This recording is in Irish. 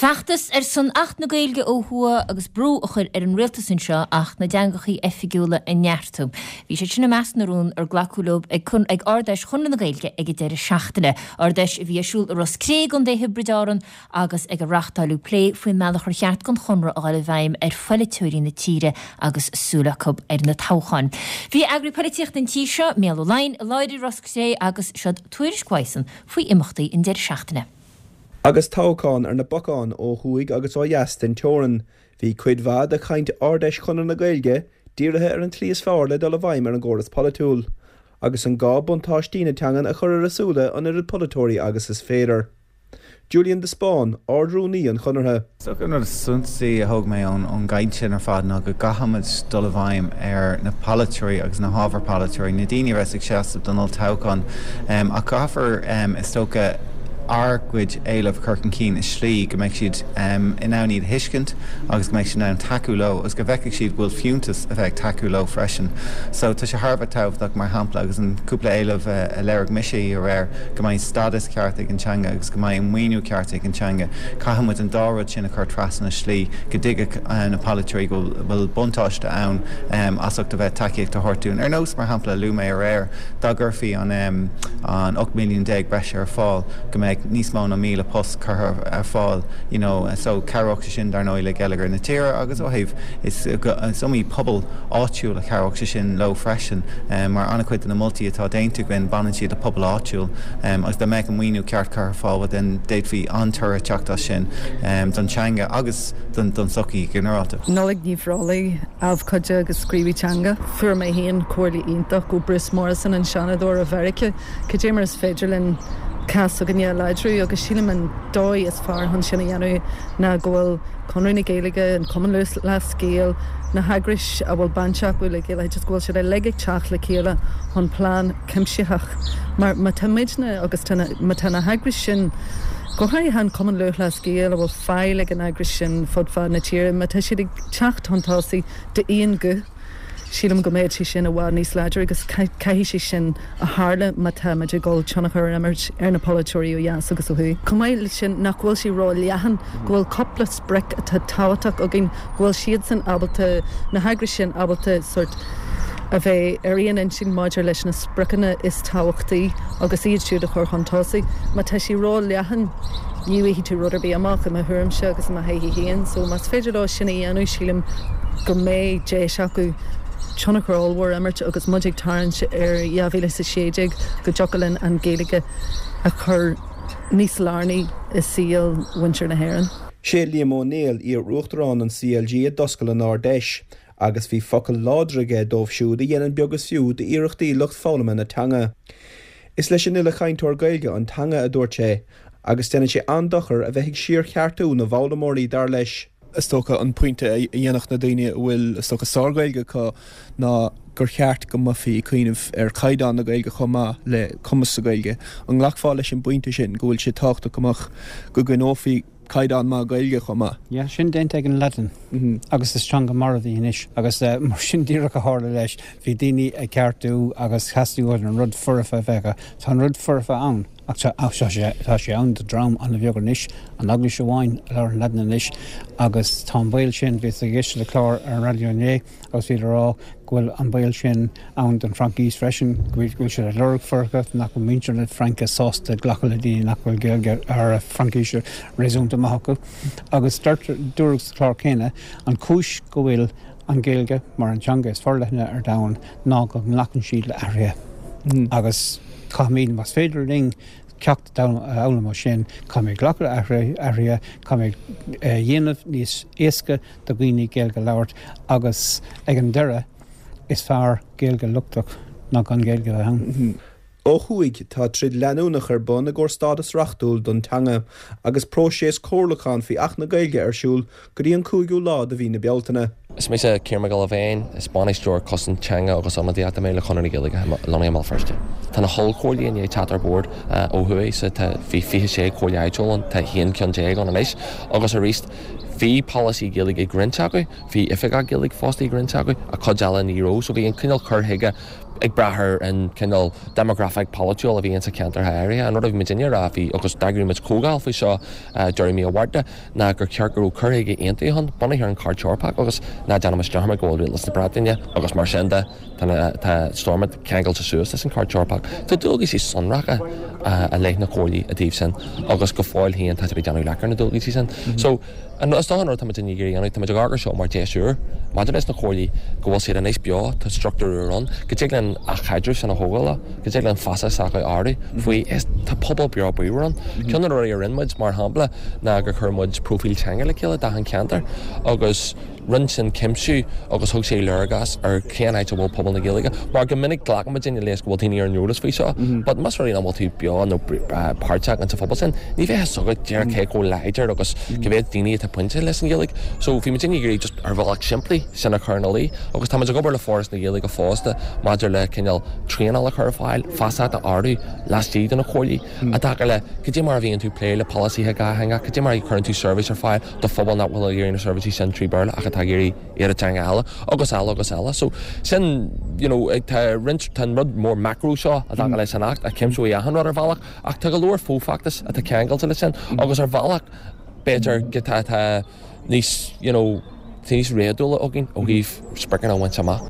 Feachtas ar son Acht na Gaeilge ó thuaidh agus brú a chur ar an rialtas anseo Acht na dTeangachaí Oifigiúla a neartú. Bhí siad sin i measc na rún ar glacadh leo ag ag Ard-Fheis Chonradh na Gaeilge ag an deireadh seachtaine. Ard-Fheis a bhí ar siúl i Ros Cré i gContae Thiobraid Árann agus ag ar reáchtáileadh plé faoin mbealach ar cheart don Chonradh a dhul i bhfeidhm ar pholaiteoirí na tíre agus súil acu ar na toghcháin. Bhí Eagraí Polaitíochta an tí seo, Mícheál Ó Laighin, i láthair i Ros Cré agus seod tuairisc uaidhsan faoi imeachtaí an deireadh seachtaine. Agus toghchán ar na bacáin ó thuaidh agus ó dheas den teorainn, bhí cuid mhaith de chaint Ard-Fheis Chonradh na Gaeilge dírithe ar an tslí is fearr le dul i bhfeidhm ar an gcóras polaitiúil, agus an gá buntáistí na teangan a chur ar a súile an oiread polaiteoirí agus is féidir. Julian de Spáinn, Ard-Rúnaí an Chonartha. Is dócha an rud is suntasaí a thóg mé ón gcaint sin ar fad ná go gcaithfimid dul i bhfeidhm ar na polaiteoirí agus na hábhair polaiteoirí, na daoine a bheas ag seasamh don olltoghchán. Ach caithfear, is dócha, ár gcuid éileamh a chur chun cinn i slí go mbeidh siad in ann iad a thuiscint agus go mbeidh siad in ann tacú leo agus go bhfeicfidh siad go bhfuil fiúntas a bheith ag tacú leo freisin. So tá sé thar a bheith tábhachtach, mar shampla, agus an cúpla éileamh a léirigh mise aréir, go mbeidh stádas ceart ag an teanga agus go mbeidh an maoiniú ceart ag an teanga. Caithfidh muid an dá rud sin a chur trasna i slí go dtuigfeadh na polaiteoirí go bhfuil buntáiste ann as ucht a bheith tacaíocht a thabhairt dúinn. Ar nós, mar shampla, luaigh mé aréir, dá gcuirfí an 18 milliún breise ar fáil go mbeadh níos mó ná 1,000 post curtha ar fáil you know so chabhródh sé sin dar ndóigh le geilleagar na tíre agus ó thaobh is iomaí pobal áitiúil a chabhródh sé sin leo freisin mar an-chuid de na moltaí atá déanta againn baineann siad le pobal áitiúil agus dá mbeadh an maoiniú ceart curtha ar fáil well then d'fhéadfaí an-toradh teacht as sin don teanga agus don tsochaí go ginearálta. Nollaig Ní Bhreolaigh, abhcóide agus scríobhaí teanga. Fuair mé féin comhairle iontach ó Bruce Morrison, an Seanadóir ó Mheiriceá, cad é mar is féidir linn cás s'againne a láidriú agus sílim an dóigh is fearr chun sin a dhéanamh ná go bhfuil Conradh na Gaeilge, an Cumann Lúthchleas Gael, na heagrais a bhfuil baint acu le Gaeloideachas, go bhfuil siad uilig ag teacht le chéile chun plean cuimsitheach. Mar má tá muidne agus tá na, má tá na heagrais sin, go háirithe an Cumann Lúthchleas Gael a bhfuil fáil ag an eagras sin fud fad na tíre, má tá siad ag teacht chun tosaigh d'aon ghuth, sílim go mbeidh sé sin i bhfad níos láidre agus caithfidh sé sin a tharla má tá muid ag dul tionchar a imirt ar na polaiteoirí ó dheas agus ó thuaidh. Chomh maith leis sin, nach bhfuil sé ró-leathan, go bhfuil cúpla sprioc atá tábhachtach againn, go bhfuil siadsan ábalta, na heagrais sin ábalta sórt a bheith ar aon intinn maidir leis na spriocanna is tábhachtaí agus iad siúd a chur chun tosaigh. Má tá sé ró-leathan, ní bhfaighidh tú rud ar bith amach, i mo thuairimse agus i mo thaithí féin. So más féidir leo sin a dhéanamh, sílim go mbeidh deis acu tionchar ollmhór a imirt agus muid ag tarraingt ar 2016 go dtiocfadh linn an Ghaeilge a chur níos lárnaí i saol mhuintir na hÉireann. Sé Liam Ó Néill, iar-uachtarán an CLG a d'oscail an Ard-Fheis. Agus bhí focal láidir aige dóibh siúd a dhéanann beag is fiú d'iarrachtaí lucht foghlama na teanga. Is leis an uile chainteoir Gaeilge an teanga, a dúirt sé, agus déanann sé an-dochar a bheith ag síorcheartú na bhfoghlaimeoirí, dar leis. Is dócha an pointe a dhéanfadh na daoine a bhfuil, is dócha, sár-Ghaeilge acu ná gur cheart go mbeifí ag cuimhneamh ar chaighdeán na Gaeilge chomh maith le cumas sa Ghaeilge. An nglacfá leis an bpointe sin, go bhfuil sé tábhachtach go mbeadh, go gcoinneofaí caighdeán maith Gaeilge chomh maith. Yeah, sin déanta ag an Laidin agus is teanga marbh í anois agus mar sin díreach a tharla leis. Bhí daoine ag ceartú agus theastaigh uathu an rud foirfe a bheith acu. Tá an rud foirfe ann ach tá sé, tá sé ann do dream an-bheag anois, an Eaglais amháin a labhrann Laidin anois agus tá an baol sin, bhíos ag éisteacht le clár ar an raidió inné agus bhíodar ag rá go bhfuil an baol sin ann don Fhraincis freisin, go bhfuil siad ag lorg foirfeacht, nach bhfuil muintir na Fraince sásta glacadh le daoine nach bhfuil Gaeilge ar Fraincis réasúnta maith acu. Agus dúradh sa chlár céanna, an chúis go bhfuil an Ghaeilge mar an teanga is forleithne ar domhan ná go nglacann siad le athruithe. Agus caithfimid, más féidir linn, ceacht a fhoghlaim ó sin, caithfimid glacadh le athruithe, caithfimid a dhéanamh níos éasca do dhaoine Gaeilge a labhairt agus ag an deireadh is fearr Gaeilge lochtach ná gan Gaeilge a bheith ann. Ó thuaidh, tá troid leanúnach ar bun i gcomhair stádas reachtúil don teanga, agus próiseas comhairliúcháin faoi Acht na Gaeilge ar siúl go dtí an cúigiú lá de mhí na Bealtaine. Is mise Ciarán Mac Giolla Bhéin, is Bainisteoir Cosaint Teanga agus Ionadaíochta mé le Conradh na Gaeilge lonnaithe i mBéal Feirste. Tá na hollchomhairlí i ndiaidh teacht ar bord ó thuaidh so tá bhí 26 comhairle áitiúil ann, tá 11 ceann ann anois agus arís bhí polasaí Gaeilge ag roinnt acu, bhí oifigeach Gaeilge fostaithe ag roinnt acu, ach cuid eile ní raibh so bhí an cineál cur chuige. Ag brath ar an cineál déimeagrafaic polaitiúil a bhí insa cheantar áirithe. An rud a bhí muidinne a rá bhí, agus d'eagraigh muid comhdháil faoi seo deireadh mí an Mhárta, ná gur cheart go raibh cur chuige aontaithe ann, bunaithe ar an Chairt Eorpach agus ná déanaimis dearmad go bhfuil Rialtas na Breataine agus mar sin de, tá Stormont ceangailte suas leis an Chairt Eorpach. Tá dualgaisí sonracha i leith na comhairlí i dtaobh sin agus go fóill féin tá siad ag déanamh leac ar na dualgaisí sin. So, Is dócha an rud atá muid ag iarraidh a dhéanamh, tá muid ag amharc air seo mar deis úr maidir leis na comhairlí, go bhfuil siad anois beo, tá struchtúr úr ann, go dtig linn an chaidreamh sin a thógáil leo, go dtig linn feasacht s'acu a ardú faoi, is tá pobal beo bríomhar ann. Ceann de na rudaí a rinne muid, mar shampla, ná gur chuir muid próifíl teanga le chéile d'achan cheantar agus, Rinne sin cuimsiú agus thug sé léargas ar cén áit a bhfuil pobal na Gaeilge, mar go minic glacann muidinne leis go bhfuil daoine ar an eolas faoi seo, but más rud é nach bhfuil tú beo nó páirteach insa phobal sin, ní bheidh a fhios agat díreach cé chomh láidir agus cé mhéad daoine atá bainte leis an Ghaeilge. So bhí muidinne ag iarraidh just ar bhealach simplí sin a chur ina luí agus tá muid ag obair le Foras na Gaeilge fosta maidir le cineál traenáil a chur ar fáil, feasacht a ardú laistigh de na comhairlí i dtaca le cad é mar a bhíonn tú ag plé le polasaithe dhátheangach, cad é mar a chuireann tú seirbhís ar fáil. do phobal nach bhfuil ag iarraidh na seirbhísí sin trí Bhéarla ach atá ag iarraidh iad i dteanga eile agus eile agus eile. So sin, you know, tá roinnt, tá an rud mór macro seo i dtaca leis an Acht a chuimseoidh achan rud ar bhealach ach tá go leor fo-fheachtas atá ceangailte leis sin agus ar bhealach b'fhéidir go tá, tá níos, you know, tá níos réadúla againn ó thaobh spriocanna a bhaint amach.